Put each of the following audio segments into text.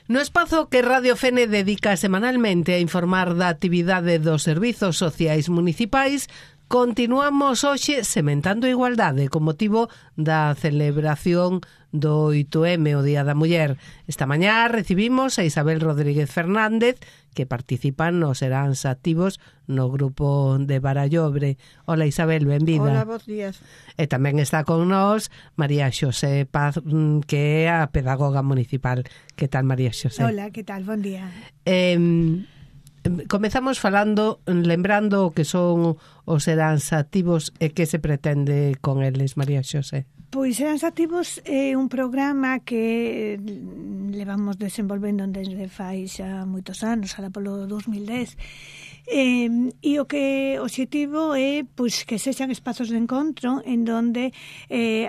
No espazo que Radio Fene dedica semanalmente a informar da actividade dos servizos sociais municipais, continuamos hoxe sementando igualdade con motivo da celebración do 8M, o Día da Muller. Esta mañá recibimos a Isabel Rodríguez Fernández, que participan nos Seráns Activos no grupo de Barallobre. Hola Isabel, benvida. Hola, bons días. E tamén está con nós María Xosé Paz, que é a pedagoga municipal. Que tal, María Xosé? Hola, que tal? Bon día. Comezamos falando, lembrando o que son os Seráns Activos e que se pretende con eles, María Xosé. Pois Seráns Activos é un programa que levamos desenvolvendo desde fai xa moitos anos, ala polo 2010. E o que o obxectivo é pois que sexan espazos de encontro en donde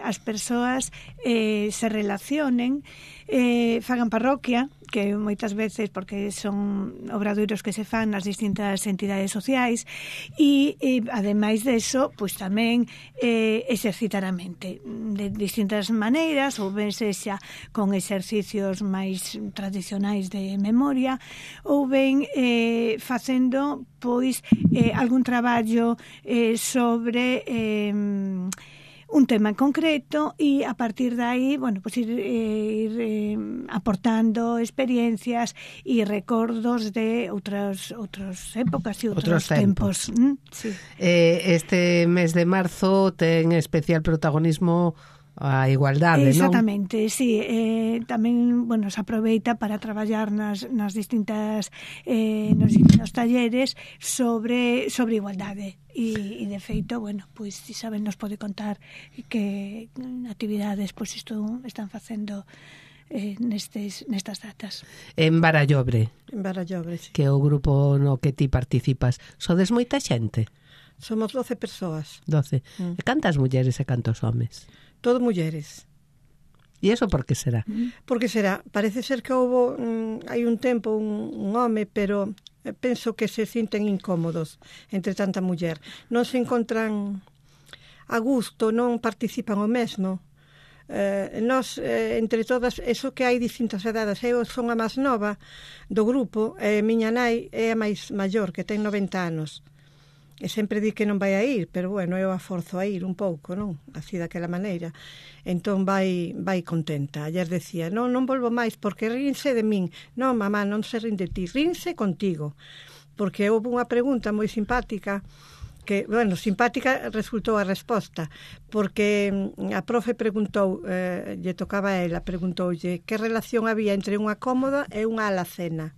as persoas se relacionen, fagan parroquia, que moitas veces porque son obradoiros que se fan nas distintas entidades sociais e ademais deso, pois tamén exercitar a mente de distintas maneiras, ou ben sexa con exercicios máis tradicionais de memoria, ou ben facendo pois algún traballo sobre un tema en concreto e a partir de aí, bueno, pues ir aportando experiencias e recordos de outras épocas e outros tempos. Sí. Este mes de marzo ten especial protagonismo a igualdade, exactamente, non? Sí, tamén, bueno, se aproveita para traballar nas distintas nos distintos talleres sobre igualdade e de feito, bueno, pois Isabel nos pode contar que actividades pois isto están facendo nestas datas. En Barallobre. En Barallobre, sí. Que é o grupo no que ti participas. Sodes moita xente? Somos 12 persoas. 12. E cantas mulleres e cantos homes? Todo mulleres. E iso por que será? Por que será? Parece ser que houve hai un tempo un home, pero penso que se sinten incómodos entre tanta muller. Non se encontran a gusto, non participan o mesmo. Nós, entre todas, eso que hai distintas edades, eu son a máis nova do grupo, miña nai é a máis maior, que ten 90 anos. E sempre di que non vai a ir, pero bueno, eu a forzo a ir un pouco, non? Así daquela maneira. Entón vai contenta. Ayer decía, non volvo máis porque rinse de min. Non, mamá, non se rin de ti, rinse contigo. Porque houve unha pregunta moi simpática que, bueno, simpática resultou a resposta, porque a profe preguntou, lle tocaba a ela, preguntoulle que relación había entre unha cómoda e unha alacena.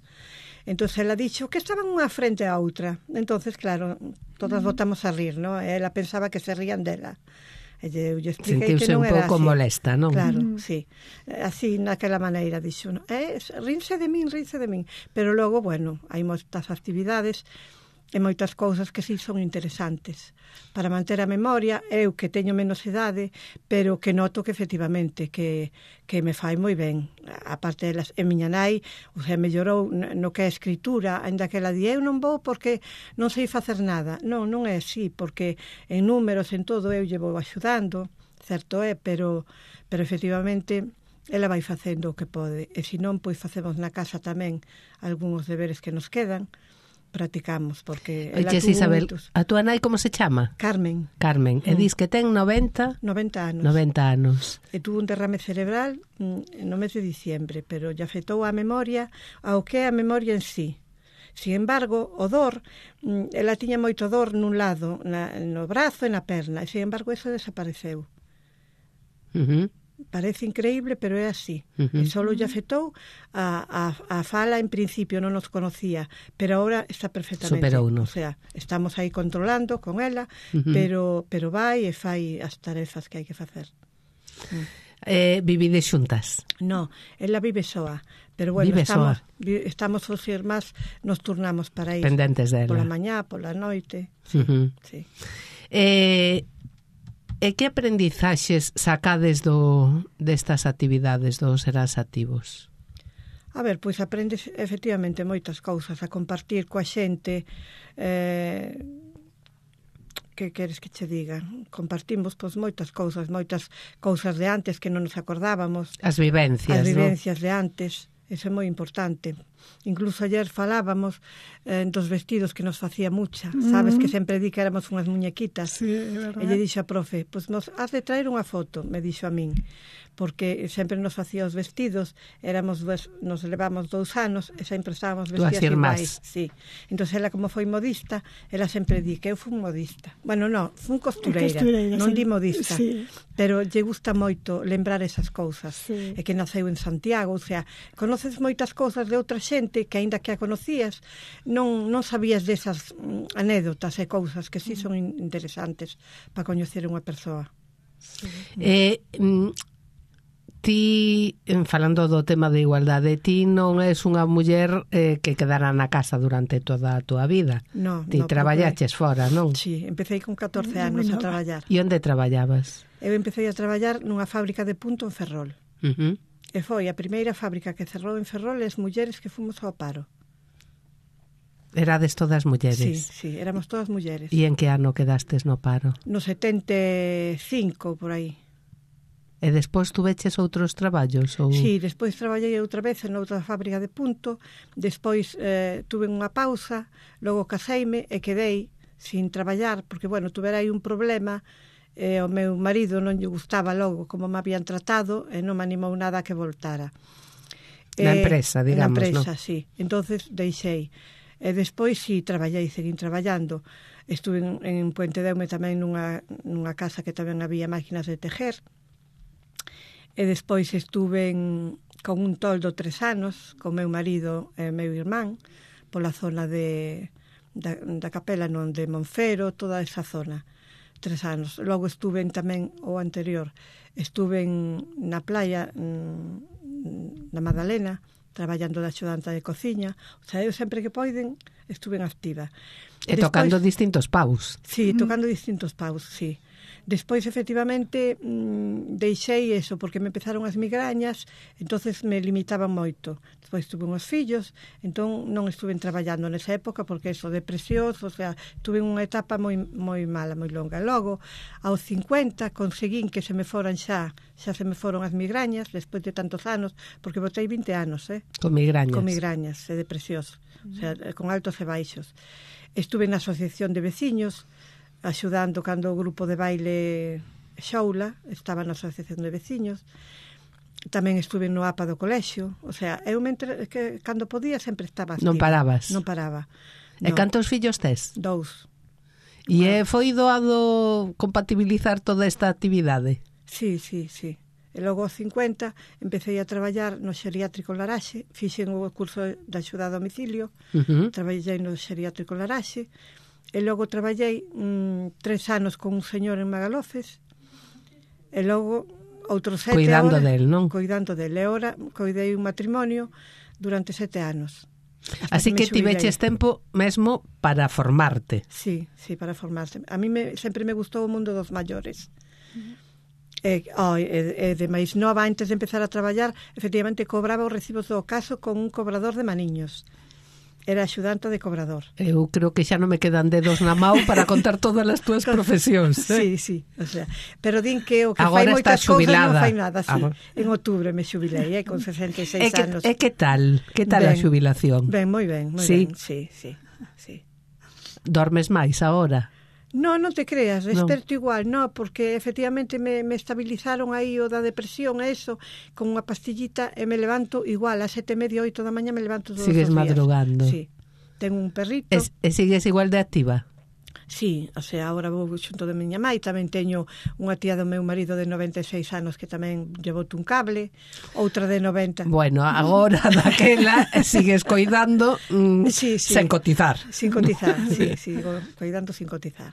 Entón, ela dixo que estaban unha frente a outra. Entón, claro, todas botamos a rir, ¿no? Ela pensaba que se rían dela. E eu lle expliquei que non era así. Sentiuse un pouco molesta, non? Claro, sí. Así, naquela maneira, dixo. Rinse de min. Pero logo, bueno, hai moitas actividades e moitas cousas que sí son interesantes para manter a memoria. Eu que teño menos idade, pero que noto que efectivamente que me fai moi ben. A parte delas, e miña nai mellorou no que é a escritura, ainda que ela di, eu non vou porque non sei facer nada. Non é así, porque en números, en todo, eu lle vou axudando, certo é, pero efectivamente ela vai facendo o que pode, e se non, pois facemos na casa tamén algúns deberes que nos quedan, practicamos, porque ela tuvo Isabel, moitos. A túa nai como se chama? Carmen. E dis que ten 90 anos. E tuvo un derrame cerebral no mes de diciembre, pero lle afectou a memoria, ao que é a memoria en sí. Sin embargo, o dor, ela tiña moito dor nun lado, no brazo e na perna, e sin embargo eso desapareceu. Parece increíble, pero é así. E só lle afectou a fala, en principio non nos conocía, pero ahora está perfectamente. Superouno. O sea, estamos aí controlando con ela, pero vai e fai as tarefas que hai que facer. Vivide xuntas? No, ela vive soa, pero bueno, estamos os irmás, nos turnamos para ir. Pendentes dela. Pola mañá, pola noite. Sí. E que aprendizaxes sacades destas actividades dos Seráns Activos? A ver, pois aprendes efectivamente moitas cousas, a compartir coa xente, que queres que che diga? Compartimos pois moitas cousas de antes que non nos acordábamos. As vivencias, de antes. Eso é moi importante. Incluso ayer falábamos dos vestidos que nos facía Mucha. Sabes que sempre di que éramos unhas muñequitas. Sí, é verdade. E lle dixo a profe, pois nos has de traer unha foto, me dixo a min, porque sempre nos facía os vestidos, nos levamos 2 anos e sempre estábamos vestidas iguais. Sí. Entón, ela como foi modista, ela sempre di que eu fui modista. Bueno, non, fui costureira, non di modista. Sí. Pero lle gusta moito lembrar esas cousas. Sí. E que naceu en Santiago, o sea, conoces moitas cousas de outra xente que, aínda que a conocías, non sabías desas anécdotas e cousas que sí son interesantes para coñecer unha persoa. Sí. Ti, falando do tema de igualdade, ti non és unha muller que quedará na casa durante toda a túa vida. No, ti traballaches fora, non? Sí, empecé con 14 anos a traballar. E onde traballabas? Eu empecé a traballar nunha fábrica de punto en Ferrol. E foi a primeira fábrica que cerrou en Ferrol as mulleres que fomos ao paro. Erades todas mulleres? Sí, éramos todas mulleres. E en que ano quedastes no paro? No 75, por aí. E despois tuveches outros traballos? Ou... Sí, despois traballei outra vez en outra fábrica de punto, despois tuve unha pausa, logo caseime e quedei sin traballar, porque, bueno, tuvera aí un problema, o meu marido non lle gustaba logo como me habían tratado e non me animou nada a que voltara. Na empresa, digamos, na empresa, ¿no? Sí. Entonces deixei. E despois, sí, seguín traballando. Estuve en Puente Deume tamén nunha casa que tamén había máquinas de tejer. E despois estuve con un toldo 3 anos, con meu marido e meu irmán, pola zona da Capela, non, de Monfero, toda esa zona, 3 anos. Logo estuve tamén, o anterior, estuve na playa, na Madalena, traballando de axudanta de cociña. O sea, eu sempre que poiden estuve activa. E despois, tocando distintos paus. Sí, tocando distintos paus, sí. Despois, efectivamente, deixei eso, porque me empezaron as migrañas, entonces me limitaban moito. Despois tuve uns fillos, entón non estuve traballando nesa época, porque eso, depresións, o sea, tuve unha etapa moi mala, moi longa. Logo, aos 50, conseguín que se me foran xa se me foron as migrañas, despois de tantos anos, porque botei 20 anos, Con migrañas. Con migrañas e depresións, o sea, con altos e baixos. Estuve na asociación de veciños, axudando cando o grupo de baile Xoula estaba na asociación de veciños. Tamén estuve no APA do colexio. O sea, eu que cando podía sempre estaba activa. Non parabas? Non paraba. E cantos fillos tes? 2. E foi doado compatibilizar toda esta actividade? Sí. E logo aos 50 empecé a traballar no xeriátrico Laraxe, fixen o curso de axuda a domicilio, traballei no xeriátrico Laraxe. E logo traballei 3 anos con un señor en Magalofes, e logo outros 7 Cuidando del, non? Cuidando del. E agora coidei un matrimonio durante 7 anos. Así que tiveches tempo mesmo para formarte. Sí, para formarse. A mí sempre me gustou o mundo dos maiores. E de máis nova, antes de empezar a traballar, efectivamente cobraba os recibos do caso con un cobrador de maniños. Era axudante de cobrador. Eu creo que xa non me quedan dedos na mão para contar todas as túas profesións. Sí, o sea, pero din que o que agora fai moitas cousas non fai nada, sí. Agora... En outubro me xubilei, con 66 anos. E que tal? Que tal a xubilación? Ben, moi ben, sí? Sí. Dormes máis agora? Non te creas, desperto igual, porque efectivamente me estabilizaron aí o da depresión, eso, con unha pastillita, e me levanto igual, a 7:30, 8 da mañá me levanto todos os días. Sigues madrugando. Sí, tengo un perrito. E sigues igual de activa? Sí, o sea, agora vou xunto de miña mai, tamén teño unha tía do meu marido de 96 anos que tamén llevou un cable, outra de 90. Bueno, agora daquela sigues coidando sen cotizar. Sin cotizar, sí, coidando sin cotizar.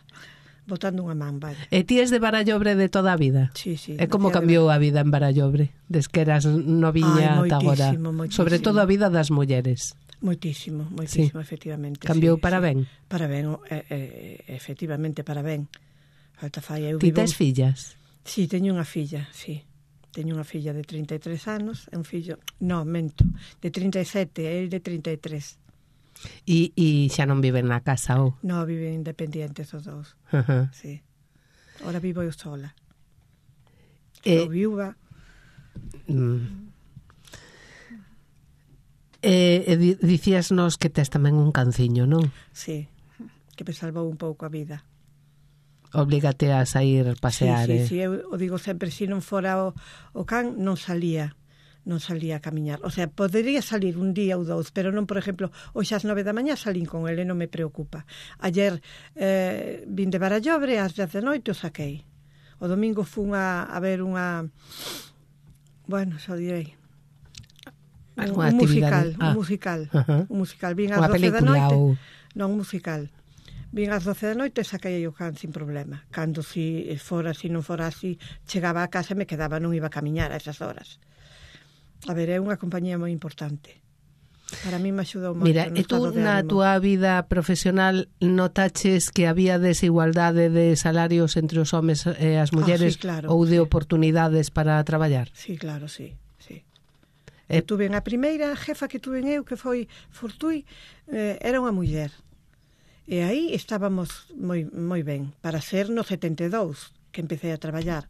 Botando unha man, vale. E ti es de Barallobre de toda a vida? Sí. E como cambiou a vida en Barallobre? Des que eras noviña ata agora? Sobre todo a vida das mulleres. Moitísimo, sí. Efectivamente. Cambiou para ben? Para ben, efectivamente para ben. Falta falla. Ti tes fillas? Sí, teño unha filla, sí. Teño unha filla de 33 anos e un fillo, mento, de 37 e el de 33. E xa non viven na casa, ou? Non, viven independientes os dous. Sí. Ahora vivo eu sola. Sou viúva. Dicíasnos que tes tamén un canciño, non? Sí, que me salvou un pouco a vida. Oblígate a sair pasear. Sí, eu o digo sempre, se non fora o can, non salía a camiñar. O sea, podería salir un día ou dous, pero non, por exemplo, hoxe ás 9 da mañá salín con ele, non me preocupa. Ayer vin de Barallobre, ás 10 da noite o saquei. O domingo fun a ver unha... Bueno, xa direi... Un musical. Vin ás 12 da noite. Non, un musical. Vin ás 12 da noite e saquei o can sin problema. Cando si non fora así, chegaba a casa e me quedaba, non iba a camiñar a esas horas. A ver, é unha compañía moi importante. Para mí me axudou moito. Mira, e tú na túa vida profesional notaches que había desigualdade de salarios entre os homes e as mulleres, sí, claro, ou de oportunidades para traballar? Sí, claro, sí. Eu tuve a primeira jefa que tuve eu, que foi Fortuí, era unha muller. E aí estábamos moi ben, para ser no 72, que empecé a traballar.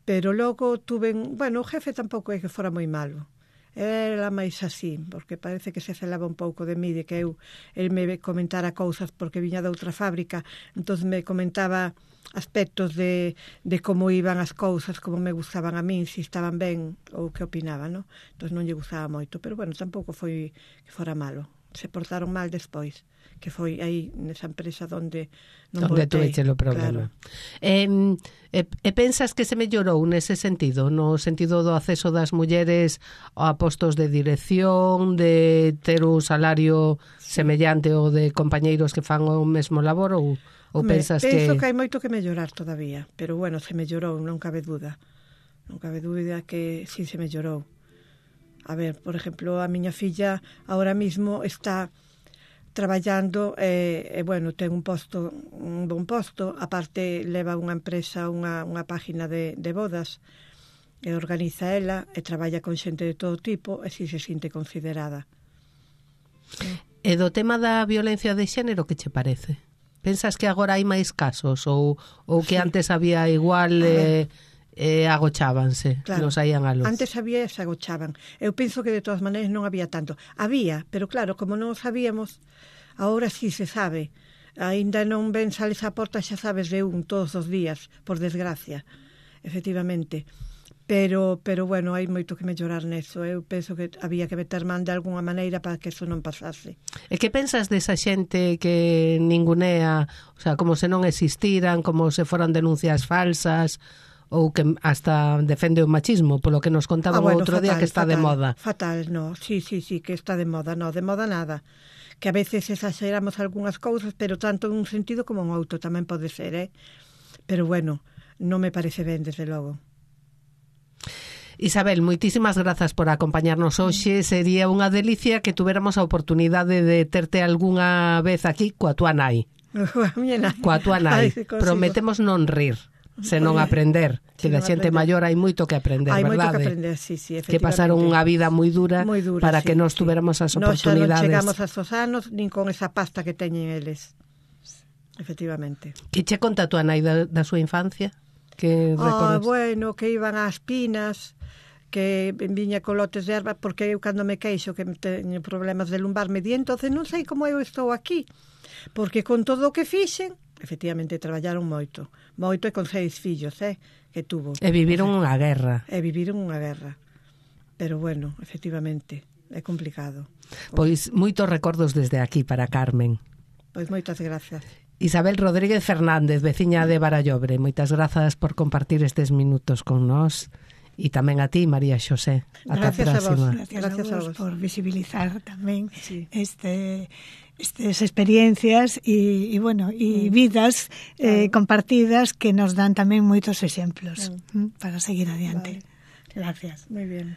Pero logo tuve... Bueno, o jefe tampouco é que fora moi malo. Era máis así, porque parece que se celaba un pouco de mí, de que el me comentara cousas porque viña de outra fábrica, entón me comentaba aspectos de como iban as cousas, como me gustaban a min, se estaban ben ou que opinaba, non? Entón non lle gustaba moito, pero bueno, tampouco foi que fora malo. Se portaron mal despois, que foi aí nesa empresa onde non voltei. Onde tuveche o problema. Claro. E pensas que se mellorou nese sentido, no sentido do acceso das mulleres a postos de dirección, de ter un salario semellante ao de compañeiros que fan o mesmo labor, ou pensas que... Penso que hai moito que mellorar todavía, pero bueno, se mellorou, non cabe dúda. Non cabe dúbida que sí se mellorou. A ver, por exemplo, a miña filla ahora mismo está traballando bueno, ten un bon posto, aparte leva unha empresa, unha página de bodas, e organiza ela, e traballa con xente de todo tipo, e si se sinte considerada. E do tema da violencia de xénero, que che parece? Pensas que agora hai máis casos, ou que antes había igual... agochábanse, claro, non saían a luz. Antes había e se agochaban. Eu penso que de todas maneiras non había tanto. Había, pero claro, como non o sabíamos, agora sí se sabe. Ainda non ven sales a porta, xa sabes de un todos os días, por desgracia. Efectivamente. Pero bueno, hai moito que mellorar neso. Eu penso que había que meter man de alguna maneira para que eso non pasase. E que pensas desa xente que ningunea, o sea, como se non existiran, como se foran denuncias falsas, ou que hasta defende o machismo, polo que nos contaba o outro día que está de moda. Fatal, no, sí, que está de moda, no, de moda nada. Que a veces exageramos algunhas cousas, pero tanto en un sentido como en outro tamén pode ser, Pero bueno, non me parece ben, desde logo. Isabel, moitísimas grazas por acompañarnos hoxe. Sería unha delicia que tuveramos a oportunidade de terte algunha vez aquí coa tua nai. Coa tua nai. Prometemos non rir, senón aprender, que da xente maior hai moito que aprender, hai verdade? Hai moito que aprender, sí, efectivamente. Que pasaron unha vida moi dura para que nós tuveramos as oportunidades. Non chegamos a esos anos nin con esa pasta que teñen eles. Efectivamente. Que che conta a tua nai da súa infancia? Que recordas? Bueno, que iban ás pinas, que viña con lotes de erva, porque eu cando me queixo que teño problemas de lumbar me di, entonces non sei como eu estou aquí, porque con todo o que fixen, efectivamente traballaron moito e con 6 fillos, que tuvo. E viviron unha guerra. Pero bueno, efectivamente, é complicado. Pois moitos recordos desde aquí para Carmen. Pois moitas grazas. Isabel Rodríguez Fernández, veciña de Barallobre, moitas grazas por compartir estes minutos con nós. E tamén a ti, María Xosé. Ata a próxima. Gracias a vos por visibilizar tamén estas experiencias e vidas compartidas que nos dan tamén moitos exemplos para seguir adiante. Vale. Gracias. Muy bien.